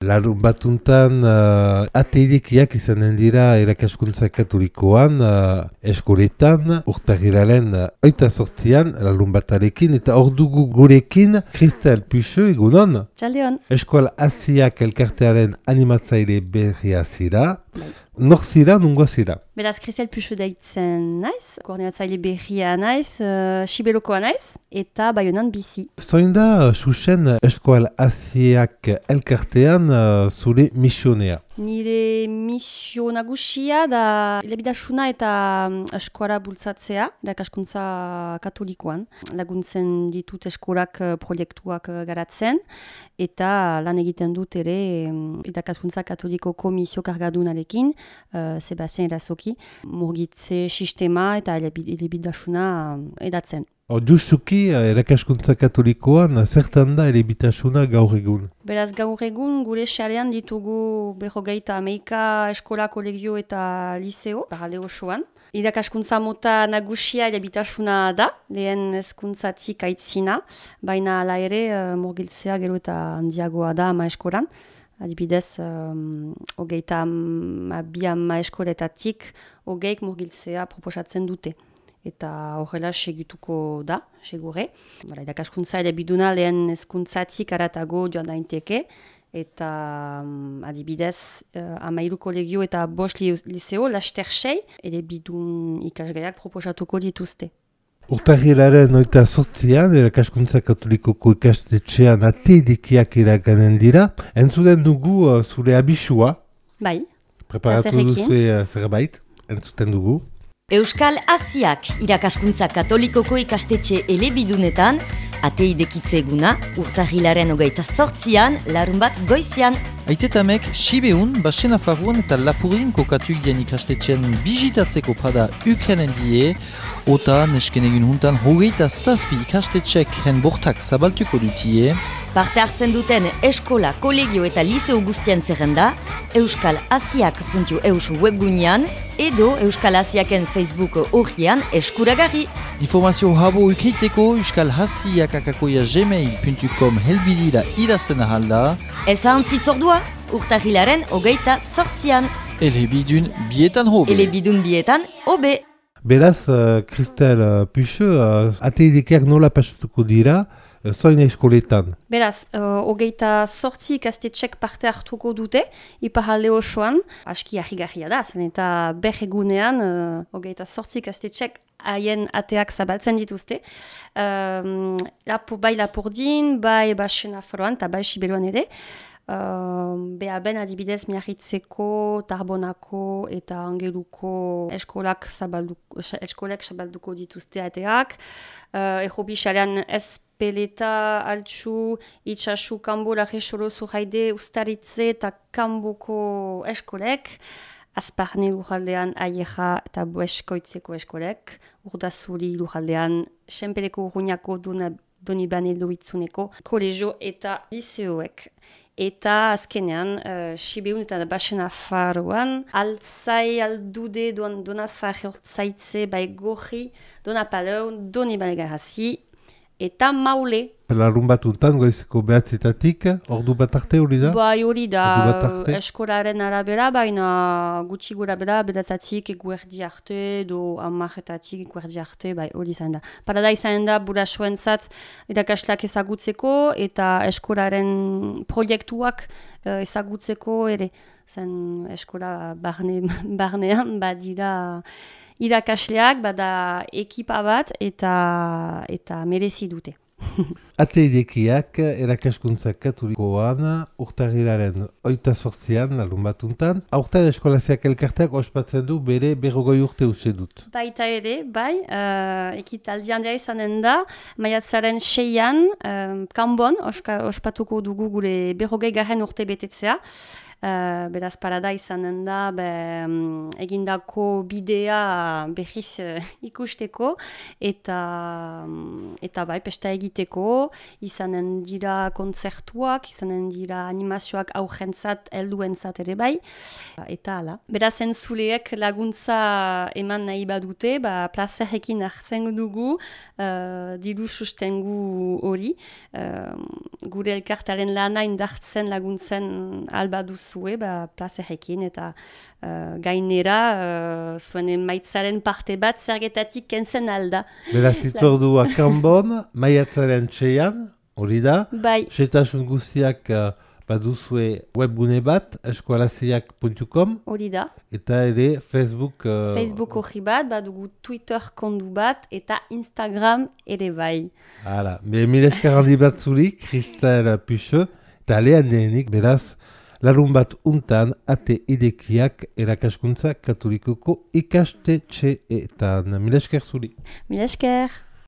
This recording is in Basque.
Larun batuntan ateidekiak izanen dira irakaskuntza katolikoan eskoletan urtagiraren 28an larun batarekin eta hor dugu gurekin Kristel Puxo, egunon? Txaldeon. Eskola Asiak elkartearen animatzaile berria zira. Nor zira, nungoa zira? Beraz, Kristel Puxo deitzen naiz, koordinatzaile berria naiz, Siberokoa naiz, eta Baionan bizi. Zoin da, Xuxen, Eskola Asiak elkartean zure misionea? Nire misio nagusia da elebidasuna eta eskuara bultzatzea, irakaskuntza katolikoan. Laguntzen ditut eskolak proiektuak garatzen, eta lan egiten dut ere irakaskuntza katolikoko misio kargadunarekin, Sebastian Erasoki, murgitze sistema eta elebidasuna edatzen. Justuki, irakaskuntza katolikoan, zertan da elebitasuna gaur egun? Beraz, gaur egun gure xarean ditugu 58 eskola, kolegio eta liceo, paralde osoan. Irakaskuntza mota nagusia elebitasuna da, lehen hezkuntzatik aitzina, baina hala ere murgiltzea gero eta handiagoa da ama eskolan. Adibidez, 22 eskoletatik 20 murgiltzea proposatzen dute. Eta horrela segituko da, segure. Irakaskuntza elebiduna lehen hezkuntzatik aratago joan daiteke, eta adibidez, 13 kolegio eta 5 liceo, laster 6, elebidun ikasgaiak proposatuko dituzte. Urtagiraren 28an, irakaskuntza katolikoko ikastetxean ateidekiak iraganen dira. Entzuten dugu zure abisua. Bai. Preparatu duzu zerbait, entzuten dugu. Euskal Asiak irakaskuntza katolikoko ikastetxe elebidunetan, ateidekitze eguna, urtagilaren 28an, larun bat goizian. Aitetamek, Sibeun, Basen Afarruan eta Lapurin kokatuik dien ikastetxean bizitatzeko pada ukanen die, ota nesken egin juntan 27 ikastetxek hen bortak zabaltuko dutie. Parte hartzen duten eskola, kolegio eta liceo guztien zerrenda, euskalasiak.eus webgunean edo Euskal Asiaken Facebook horrian eskuragarri. Informazio habo ukriteko euskalhasiak@gmail.com helbidira idazten ahalda. Ez ahantzitzordua, urtagilaren 28an. Elebidun bietan hobe. Elebidun bietan hobe. Beraz, Kristel Puxo, ateidekiak nola pasatuko dira, zoin eskoletan? Beraz, 28 ikastetxek parte hartuko dute, iparalde osoan, aski ahigarria da, zen eta egunean 28 ikastetxek haien ateak zabaltzen dituzte. Bai Lapurdin, bai Basen Afarroan eta bai Siberuan ere. Behaben adibidez Miarritzeko, Tarbonako eta Angeluko eskolek zabalduko dituzte ateak. Errobi xalean Espeleta, Altsu, Itxasu, Kambo, Larresoro, Zurraide, Ustaritze eta Kamboko eskolek. Azparne lujaldean Aieja eta Boeskoitzeko eskolek. Urdazuri lujaldean Senpereko Urruñako Donibane Loitzuneko kolegio eta liceoek. Eta azkenean, Sibeun eta Basen Afarroan, Altzai, Aldude, Donazar Hortzaitze, Baigorri, Donapaleu, Donibane Garrasi, eta Maule. Larun batuntan, goizeko behatzetatik, ordu bat arte hori da? Bai hori da, eskolaren arabera, baina gutxi gura bera, bedatzatik eguerdi arte, do amaretatik eguerdi arte, bai hori izan da. Parada izan da, burasoen zat, irakaslak ezagutzeko, eta eskolaren proiektuak ezagutzeko ere. Zen eskola barnean, badira irakasleak, bada ekipa bat, eta merezi dute. Ateidekiak irakaskuntza katolikoan urtagiraren 28an, larun batuntan, aurten eskolasiak elkarteak ospatzen du bere 40 urte uste dut. Baita ere, bai, ekitaldian da izanen da, maiatzaren 6an, Kanbon, ospatuko dugu gure 40 urte betetzea. Beraz, parada izanen da egindako bidea berriz ikusteko eta bai, pesta egiteko, izanen dira kontzertuak, izanen dira animazioak aurrentzat, helduentzat ere bai, eta hala. Beraz, entzuleek laguntza eman nahi badute, plazerekin hartzen dugu, diru sustengu hori, gure elkartaren lana indartzen laguntzen albaduzue, plazerekin, eta gainera, zuen emaitzaren parte bat zergetatik kentzen alda. Beraz, itzordua kanbon, maiatzaren 6an, hori da, bai. Xehetasun guztiak baduzue webgune bat, eskualaziak.com, hori da. eta ere Facebook... Facebook hori bat, badugu Twitter kondu bat, eta Instagram ere bai. Hala, mil esker handi bat zuri, Kristel Puxe, eta lehen denik, beraz, larun bat untan ate idekiak erakaskuntza katolikoko ikastetxeetan. Mil esker zuri. Mil esker.